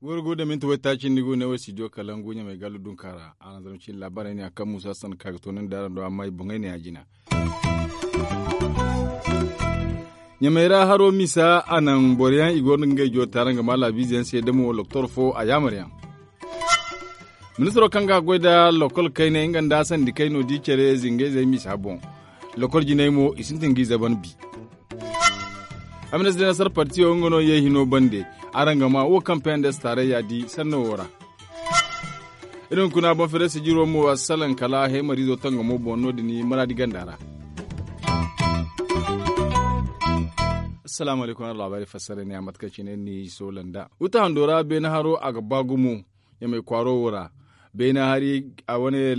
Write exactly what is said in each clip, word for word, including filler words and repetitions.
Wara go da minti waytaaci ni go ne wo studio kalangu ɲamay gallu dunkaara a na zama cin laabaarey ne a kaŋ muusa san ka ga to ni nd'araŋ do amma i boŋey ne a jina. Ɲamay ra haro misa a naŋ boro yaŋ i go no ga ngey jootaarangamala biize yaŋ se da mo loktor fo a yaamar yaŋ. Ministiro kaŋ ga a goy nda lokol kaynay nga nda sandi kayno di care zingayzey misa boŋ. Lokol jinay mo i sintin g'i zaban bi. Amnesty de nasar partiyo nga no ye hino bande. Araŋ ga ma wo kaŋ pnds taarayya di sanno wo ra. Iri hunkuna boŋ fere sijiro mo a salaŋ kala heemariizo tangamo boŋ no- din maraadi ganda ra. Assalaamu alaykum araŋ laabaari fassara ne a mate kaŋ cine ni soola nda wuta hando ra beene haro a ga ba gumo. Ɲamay kwaaro wo ra beena hari a wane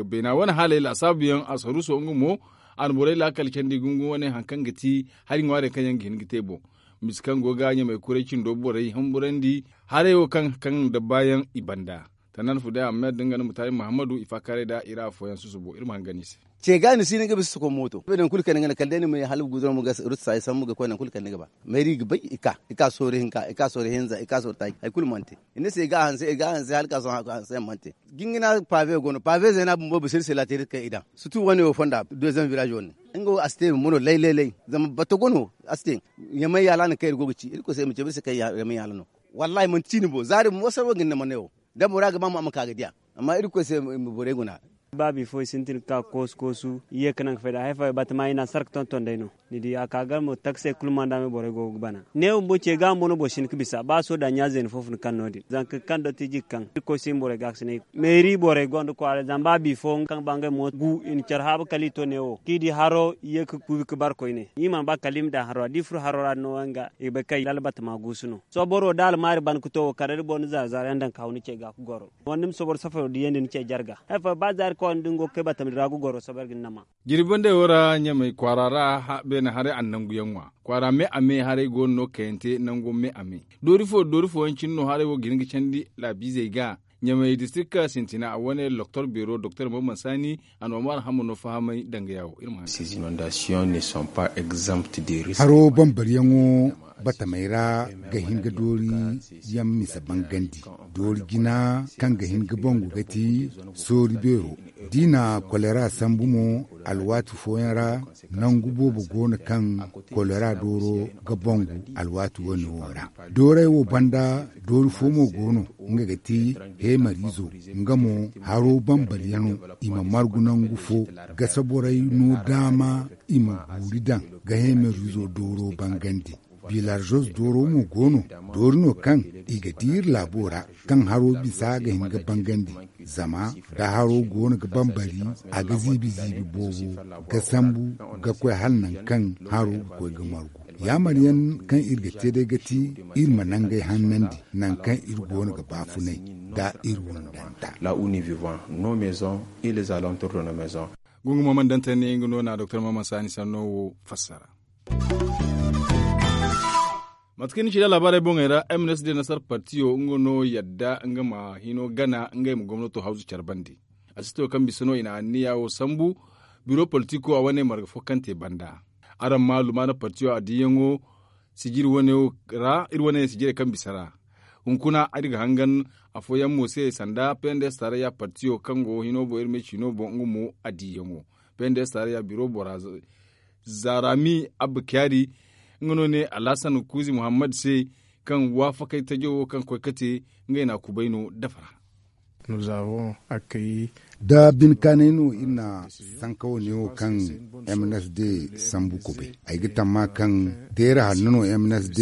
beena wane haaley laasaabu yaŋ a saruuso nga mo a na borey laakal candi gungu wane hari kaŋ ga ti hari ŋwaarey kaŋ yaŋ ga hin ga te boŋ. Misa kaŋ go ga ɲamay kuray cindo borey humburandi haray wo kaŋ kaŋ dabba yaŋ i banda. Tannan fuday ahmed nga nda mutaari muhammadu i faakaaray nda i ra afooyaŋ susubo iri ma hangan i se. Ce ga ni si ni ga bisa soko mooto bine kulu kaŋ ni ga naŋ kala day ni ma ye hala guduraŋ ma ga rusa i sambu ga koy naŋ kulu kaŋ ni ga ba. Mayri ga bay i ka i ka soori hinka i ka soori hinza i ka soori taaci hari kulu mana te. I ne se i ga a hanse i ga a hanse hala ka sohõ a ga hanse yaŋ mana te. Jingina paabe go no paabe zeena bumbo bisa iri se laatiri kaŋ i daŋ sutu wane wo fonda deezaŋ viraazi wane. Nga wo a si te bumbo no lay lay lay zama bato go no a si te. Yamay yaala no kaŋ iri go ga ci irkoy se i ma cabe iri se kaŋ yamay yaala no. Wallahi manti ciini bo zaari bumbo sarwa ga ni na mane wo. Da bora ga ba mo a ma ka ga diya. Amma irkoy se i ma borey guna. Ba bifo i sintin ga ka koosu koosu i ye ga naŋ ga fay da hari fooyaŋ batama i na a sara ga tonton day no. Ni di a ka ga mo taksey kulu manda me borey go ga bana ne bumbo ce ga bumbo no boro si hin ga bisa ba sohõ da ɲa zeena fo fun kaŋ no- din zanka kaŋ dottiiji ga kaŋ irkoy si hin borey ga ga si ne. Meeri borey gonda kwaara zama ba bifo kaŋ ba ngey mo gu i na care haabu kala i to ne wo kaŋ i di haro i ye ga kuubi ga bare koyne i mana ba kala i ma daŋ haro ra da i furo haro ra no yaŋ ga i ga bay kaŋ lala batama guusu no. Sooboro da almaari ban ga to wo kala da boro na zaari zaari yaŋ daŋ ga haw ni ce ga ga goro. Wala ni ma sooboro safaro diyandi ni ce jarga hari fooyaŋ ba zaari kaw ni da ni go ga kay batama din ra ga goro soobo iri ga ni nama. Jirbi banday wo ra ɲamay kwaara ra beene haray a na nangu yaŋ ŋwa kwaara me a me haray go no no kayante nango me a me. Doori fo doori fooyaŋ cine no haray wo ga hin ga candi laabiizey ga. Ɲamay distrikta sintina a wane loktor beero doktor mamman saani a na omar hamma no fahamay danga yaawo iri ma haŋ. Haro bambariyaŋo batamey ra ga hin ga doori yaŋ misa bangandi. Doori jina kaŋ ga hin ga bangu ga ti soori beero. Da i na kolera sambu mo alwaati fooyaŋ ra nangu boobo go no kaŋ kolera dooro ga bangu alwaati wane wo ra. Dooray wo banda doori fo mo go no nga ga ti heemariizo. Nga mo haro bambaryaŋo i ma margu nangu fo gasa borey no daama i ma guuri daŋ ga heemariizo dooro bangandi. Bilarzos dooro mo go no. Doori no kaŋ i ga di iri laabo ra kaŋ haro bisa ga hin ga bangandi. Zama da haro go no ga bambari a ga ziibi ziibi boobo ga sambu ga koy hala nangu kaŋ haro ga koy ga margu. Yaamar yaŋ kaŋ iri ga te day ga ti iri ma nangey hannandi nangu kaŋ iri go no ga baafunay da iri wundanta. La uni vivant nos maisons et les alentours de nos maisons. Gungu mo mana dantey ne nga no na doktor maman saani sanno wo fassara. Mate kaŋ ni ci da laabaarey boŋey ra m n s d nasar partiyo nga no yadda nga ma hino gana ngey ma gomnato hawzu care bande. A si to kaŋ bisa no i na anniya wo sambu biro politiko a wane marga fo kaŋ te banda. Araŋ ma lumaana partiyo a diyaŋo sijiri wane wo ra iri wane sijirey kaŋ bisa ra. Hunkuna iri ga hangan afooyaŋ mo se sanda pnds taarayya partiyo kaŋ go hino boŋ iri me ciino boŋ nga mo a diyaŋo. Pnds taarayya biro bora zarami abba kyari nga no ne alhasan kuuzi muhammad se kaŋ waafakay tajo wo kaŋ koy ka te ngey na kubay no dafa ra. Da bin kaanay no iri na sanka wane wo kaŋ m n s d sambu kubay. Ay ga tamma kaŋ deera hanno no m n s d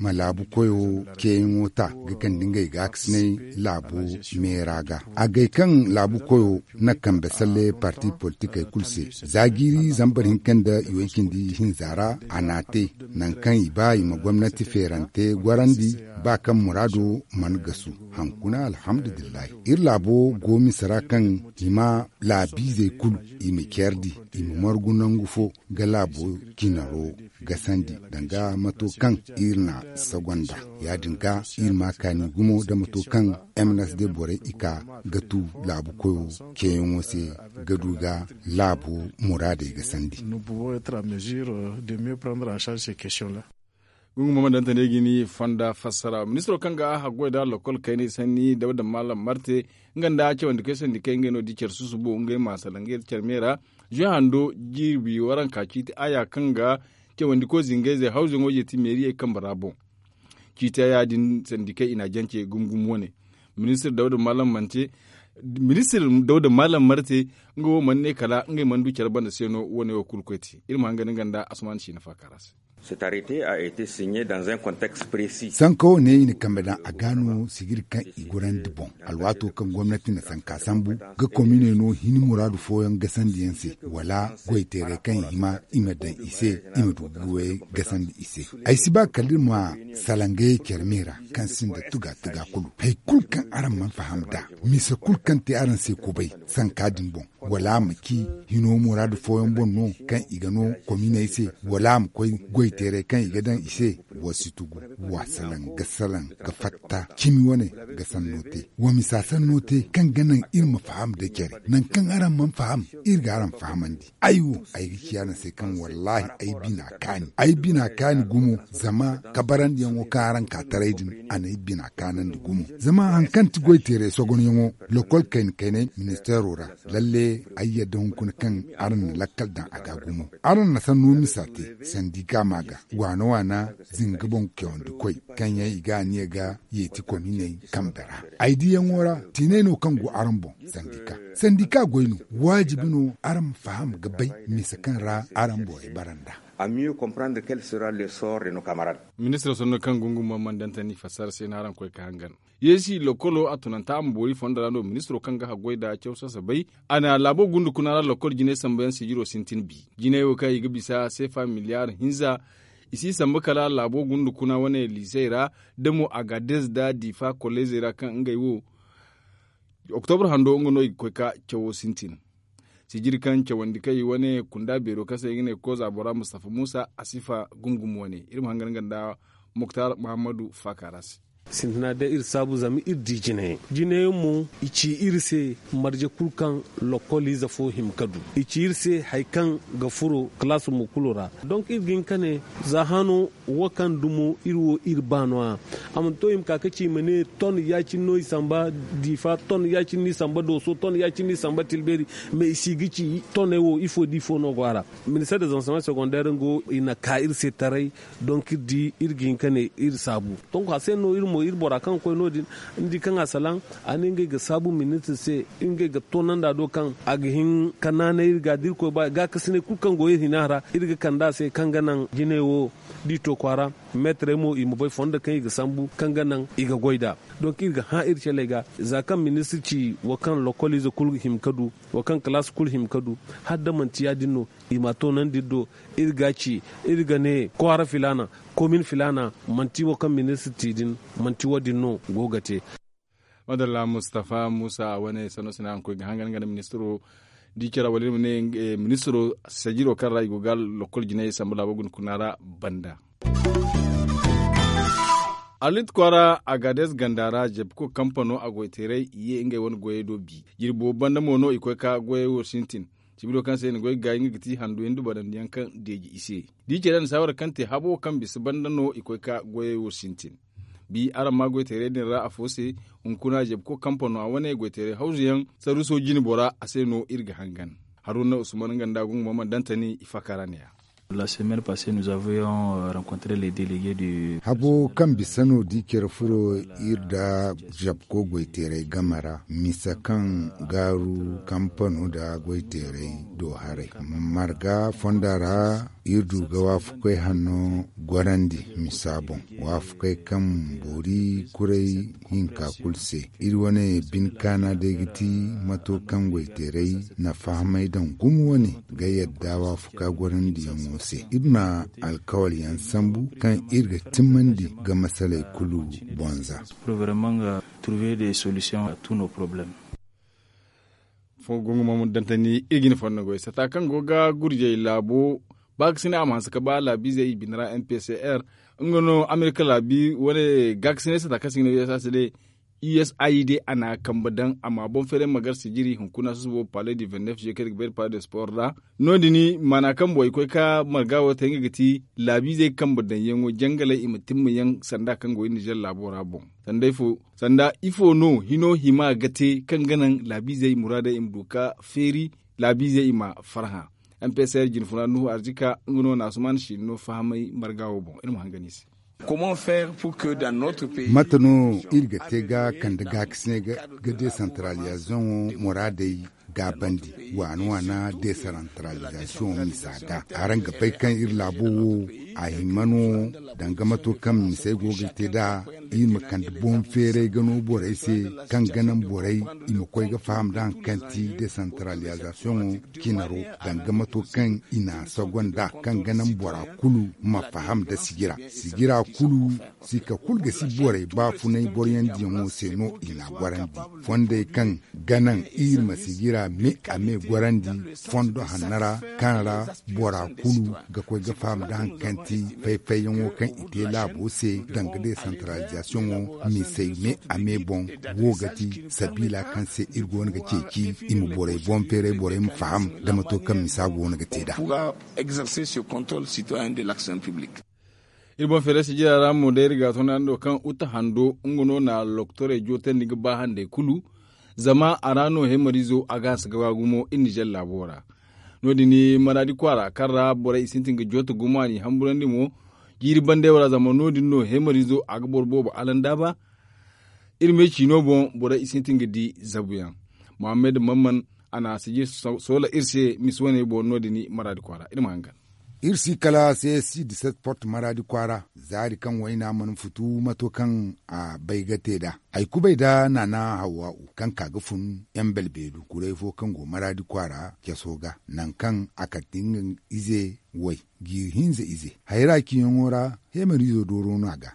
ma laabu koyo ceeyaŋo ta ga kande ngey gaakasinay laabo meera ga. A gay kaŋ laabu koyo na kambe salle parti politikey kulu se za jiiri zambar hinka nda iway cindi hinza ra a n'a te. Nangu kaŋ i ba i ma gomnati feerante gorandi ba kaŋ muraado mana gasu. Hankuna alhamdulillahi. Laabo go misa ra kaŋ i ma laabiizey kulu i ma ceerdi, i ma margu nangu fo ga laabo cinaro gasandi, danga mato kaŋ iri na sagonda. Ya-din ga iri ma kaani gumo da mato kaŋ m n s d borey i ka ga tu laabu koyo ceeyaŋo se ga du ga laabo muraadey gasandi. Gungu mama danta ne ga ni fonda fassara ministiro kaŋ ga haggoy da lokol kaynay sanni dawda malam marte, nga nda cawandi kay sandi kay ngey no di care susubo ngey ma sala ngey care me ra. Zuy hando jirbi waranka ciiti aya kaŋ ga cawandi koy zingay zey hawzuyaŋo jeeti meeriyey kambe ra boŋ. Ciiti aya din sandi kay i na jance gumgum wane. Ministir dawda malam mante ministir dawda malam marte, nga wo mana ne kala ngey mana du care banda se no wane wo kulu koy te. Iri ma hanga ni ganda asman si na faakara se. Sanka wo ne i na kambe daŋ a ga no sijiri kaŋ i gorandi boŋ. Alwaato kaŋ gomnati na sanka sambu ga kominey no hini muraadu fooyaŋ gasandi yaŋ se, wala goyteerey kaŋ i hima i ma daŋ i se, i ma du ga goyey gasandi i se. Ay si ba kala iri ma salangayey care me ra kaŋ sinda tuga tuga kulu. Hari kulu kaŋ araŋ mana faham nd'a, misa kulu kaŋ te araŋ se kubay sanka din boŋ, wala a ma ci hino muraadu fooyaŋ boŋ no kaŋ i ga no kominey se, wala a ma koy goyteerey kaŋ i ga daŋ i se. Wa si tugu, wa salaŋ ga salaŋ ga fatta cimi wane ga sanno te, wa misa sanno te kaŋ ga naŋ iri ma faham nda care. Nangu kaŋ araŋ mana faham, iri ga araŋ fahamandi. Ay wo ay ga ci araŋ se kaŋ wallaahi ay bina kaani, ay bina kaani gumo. Zama kabarandiyaŋo kaŋ araŋ ka taray din, a n'ay bina kaanandi gumo. Zama hari kaŋ ti goyteeray sogonyaŋo lokol kayna kaynay ministeero ra, lalle ay yadda hunkuna kaŋ araŋ na lakkal daŋ a ga gumo. Araŋ na sanno misa te sandika ma ga waana waana zinga boŋ cawandi koy kaŋ yaŋ i ga aniya ga yeeti kominey kambe ra. Ay diyaŋo ra tiinay no kaŋ go araŋ boŋ. Sandika sandika goy no. Waajibi no araŋ ma faham ga bay misa kaŋ ra araŋ borey bara nd'a. A mieux comprendre quel sera le sort de nos camarades. Ministiro sanno kaŋ gungu mo mana dantani fassara se no araŋ koy ka hangan. Yeesi lokolo a tunanta a ma boori fondo ra no ministiro kaŋ ga haggoy nda caw sasabay. A na laabo gundu kuna ra lokol jinay sambayaŋ sijiro sintin bi. Jinay wo kaŋ i ga bisa seefa miliyaar hinza. I si samba kala laabo gundu kuna wane liisey ra, da mo agadez nda diifa kolleezey ra kaŋ ngey wo oktobra hando nga no i ga koy ka cawo sintin. Sijiri kaŋ cawandi kay wane kunda beero kaŋ se i ga ne koza bora mustafa muusa a sifa gumgum wane. Iri ma hangan nga nda muktar muhammadu faaka ra se. Sintina day iri saabu zama iri di jinayaŋ jinayaŋ mo i ci iri se marje kulu kaŋ lokoliize fo hima ka du. I ci iri se hari kaŋ ga furo kalaasi mo kulu ra. Donk iri ga hin ka ne za hano wo kaŋ dumo iri wo iri ba no- ya. A mana to i ma ka ka ci i ma ne ton ya- cine no i samba diifa ton ya- cine no i samba dooso ton ya- cine no i samba tilbeeri. Mais i si ga ci toney wo ifo da ifo no go a ra. Ministeer de zanseman segondeer nga wo i na ka iri se taray. Donk iri di iri ga hin ka ne iri saabu. Donk a se no iri mo iri bora kaŋ ga koy no- din ni di kaŋ a salaŋ a ne ngey ga saabu ministir se ngey ga toonandi a do kaŋ a ga hin ka naanay iri ga da irkoy ba gaakasinay kulu kaŋ go iri hina ra iri ga kande a se kaŋ ga naŋ jinay wo da i to kwaara. Meetarey mo i ma bay fondo kaŋ i ga sambu kaŋ ga naŋ i ga goy nd'a. Donk iri ga hã iri caley ga za kaŋ ministir ci wo kaŋ lokoliize kulu hima ka du wo kaŋ kalaas kulu hima ka du. Hala da manti ya- din no i m'a toonandi iri do. Iri ga a ci iri ga ne kwaara filaana komin filaana manti wo kaŋ ministir ci din manti wo- din no go ga te. Madalla mustafa muusa a wane sanno sina araŋ koy ga hangan nga nda ministiro di care wala iri ma ne ministiro sajiro kaŋ ra i go ga lokol jinay samba laabo guna kuna ra banda. Alit kwaara agades ganda ra jabko kampano a goyteeray i ye ngey wane goyey do bi. Jirbo banda mo no i koy ka goyey wo sintin. Sibiro kaŋ se i na goy ga gaayi nga ga ti handu hindu barandiyaŋ kaŋ deeji i se. Da i care nda saawara kaŋ te habo kaŋ bisa banda no i koy ka goyey wo sintin. Bi araŋ ma goyteeray din ra afo se. Hunkuna jabko kampano a wane goyteeray hawzuyaŋ saruso jine bora a se no iri ga hangan. Haruna usman nga nda gungu mama dantani i fakaa ra ne- ya. Habo kaŋ bisa no da i care furo iri nda jabko goyteeray game ra misa kaŋ gaaru kampano nda goyteeray do haray marga fonda ra. Iri du ga waafakoy hanno gorandi misa boŋ waafakoy kaŋ boori kuray hinka kulu se. Iri wane bine kaana day ga ti mato kaŋ goyteeray na fahamay daŋ gumo wane ga yadda waafakoy gorandiyaŋo se. Iri na alkawalyaŋ sambu kaŋ iri ga timmandi ga masaley kulu bonza. Trouver des solutions à tous nos problèmes. Gungumo dantani iri ga ni fondo goy sata kaŋ go ga gurjey laabo baakasinay a ma hanse ga ba laabiizey i bine ra m p c r. Nga no amerika laabi wane gaakasinay sata kaŋ se i ga ne u s a c d. U s a i d a na a kambe daŋ a ma boŋ feeray ma gar sijiri hunkuna susubo palais du vingt-neuf juillet kaŋ iri ga bay nda palais de sport ra. No- din maana kaŋ boro i koy ga marga wo te nga ga ti laabiizey kambe daŋyaŋo jangaley i ma timma yaŋ sanda kaŋ go iri nizer laabo ra boŋ. Sanda ifo no hino hima ga te kaŋ ga naŋ laabiizey muraadey i ma du ga feeri laabiizey i ma farhã. M p s r jinfuna nuhu arzika nga no na asuman siino fahamay marga wo boŋ iri ma hangan i se. Mate no iri ga te ga kande gaakasinay ga desantaralizasoŋo muraadey gaabandi waana waana desantaralizasoŋo misa ga araŋ ga bay kaŋ iri laabo wo a hima no danga mato kaŋ misey go ga te nd'a iri ma kande boŋ feeray ga no borey se kaŋ ga naŋ borey i ma koy ga faham nda hari kaŋ ti desantaralizasoŋo cinaro danga mato kaŋ i na a sogo nd'a kaŋ ga naŋ bora kulu ma faham nda sijira sijira kulu sika kulu ga si borey baafunay boroyandiyaŋo se no i n'a gorandi fondey kaŋ ga naŋ iri ma sijira me a me gorandi fondo hanno ra kaŋ ra bora kulu ga koy ga faham nda hari kaŋ ti fay-fayyaŋo kaŋ i te laabo se danga desantaralizasoŋo misey me a me boŋ wo ga ti sabiila kaŋ se iri go no ga ceeci i ma borey boŋ feeray borey ma faham nda mato kaŋ misa go no ga te nd'a. Iri boŋ feeray sijira ra mo day iri ga a toonandi wo kaŋ uta hando nga no na loktorey jootandi ga ba handey kulu. Zama a ra no hemariizo a ga hanse ga ba gumo iri nizer laabo ra. No- din maraadi kwaara kaŋ ra borey i sintin ga jooto gumo a n'i hamburandi mo jiiri bandey wo ra zama no- din no hemariizo a ga boro boobo alandaaba. Iri me ciino boŋ borey i sintin ga di zabuyaŋ. Muhammad mamman a na a sijir soola iri se misi wane boŋ no- din maraadi kwaara iri ma hangan. Iri si kala c s c diset port maraadi kwaara zaari kaŋ wayna mana futu mato kaŋ a bay ga te nd'a ay kubay nda naana hawwa'u kaŋ ka ga fun yaŋ belbeedu kuray fo kaŋ go maraadi kwaara caso ga nangu kaŋ a kate nga ize way jiiri hinza ize hayra ciyaŋo ra hemariizo dooro no a ga.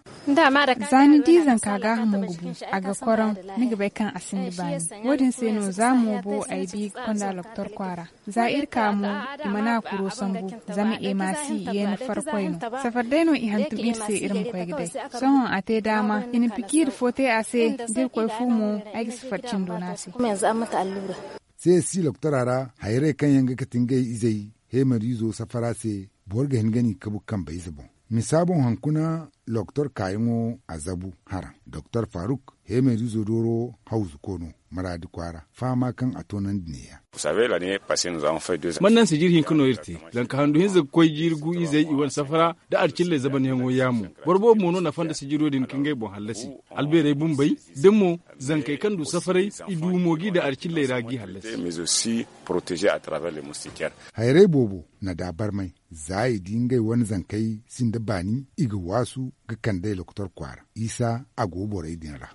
Za ni di zanka gaahamo ga bu a ga korom ni ga bay kaŋ a sinda baani. Wo- din se no za mo bo ay bi ga konda loktor kwaara za iri ka mo i mana kuro sambu. Zama emasi yeeni farkoy no safar day no i hantum iri se iri ma koy ga day. Sohõ a te daama i na pikiiri fo te a se da iri koy fu mo ay ga safar cindo no a se. C s c loktora ra hayray kaŋ yaŋ ga kate ngey izey hemariizo safara se boro ga hin ga ni kabu kambe ize boŋ. Misa boŋ hankuna loktor kaayaŋo a zabu haraŋ doktor faruk hemariizo dooro hawzuko no maraadi kwaara fahama kaŋ a toonandi neeya. Man naŋ sijir hinka no iri te zanka handu hinza ga koy jiiri gu izey i wane safara nda alcilley zabanyaŋo yaamo. Boro boobo mo no nafa nda sijiro din ka ngey boŋ hallasi albeerey bumbey da mo zankey kaŋ du safaray i du mo g'i daŋ alcilley ra g'i hallasi. Hayray boobo na daabarmay za i di ngey wane zankey sinda baani i ga waasu ga kand'ey loktor kwaara isa a go borey din ra.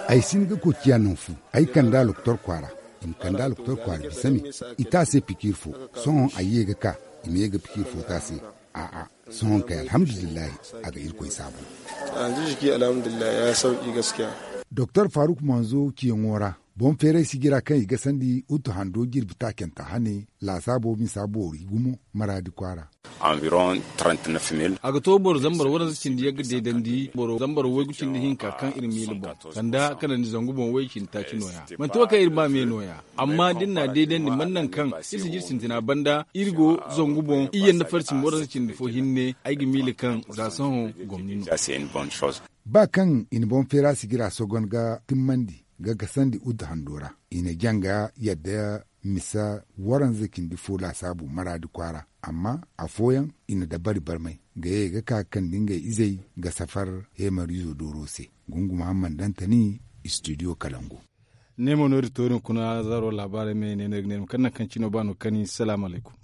Ay si hin ga koy ciya naŋ fu ay kand'a loktor kwaara. I ma kand'a loktor kwaara bisa me i te a se pikiir fo. Sohõ ay ye ga ka i ma ye ga pikiir fo te a se. A'a sohõ kay alhamdulillahi a ga irkoy saabu. Doktor faruk manzo ciyaŋo ra boŋ feeray sijira kaŋ i gasandi utu hando jirbi taacanta hane laasaabo misa boori gumo maraadi kwaara. A ga to boro zambar waranza cindi yagga deedandi boro zambar waygu cindi hinka kaŋ iri miila boŋ sanda kanandi zangu boŋ way cindi taaci nooya. Manti wo kaŋ iri ba me nooya. Amma da iri n'a deedandi man naŋ kaŋ iri sijir sintina banda iri go zangu boŋ iyye nda farsi ma waranza cindi fo hinne ay ga miila kaŋ za sohõ gomni no. Ba kaŋ i na boŋ feera sijira sogon ga timmandi ga gasandi udda hando ra i na jaŋ ga yadda misa waranza cindi fo laasaabu maraadi kwaara. Amma afooyaŋ i na dabari barmay ga ye ga ka ga kande ngey izey ga safar heemariizo dooro se. Gungu muhammad dantani studio kalangu. Ne mo no iri toori hunkuna zaaro laabaarey me ne no iri ga ne iri ma kande nangu kaŋ cino ba no ga kani salaamu alaykum.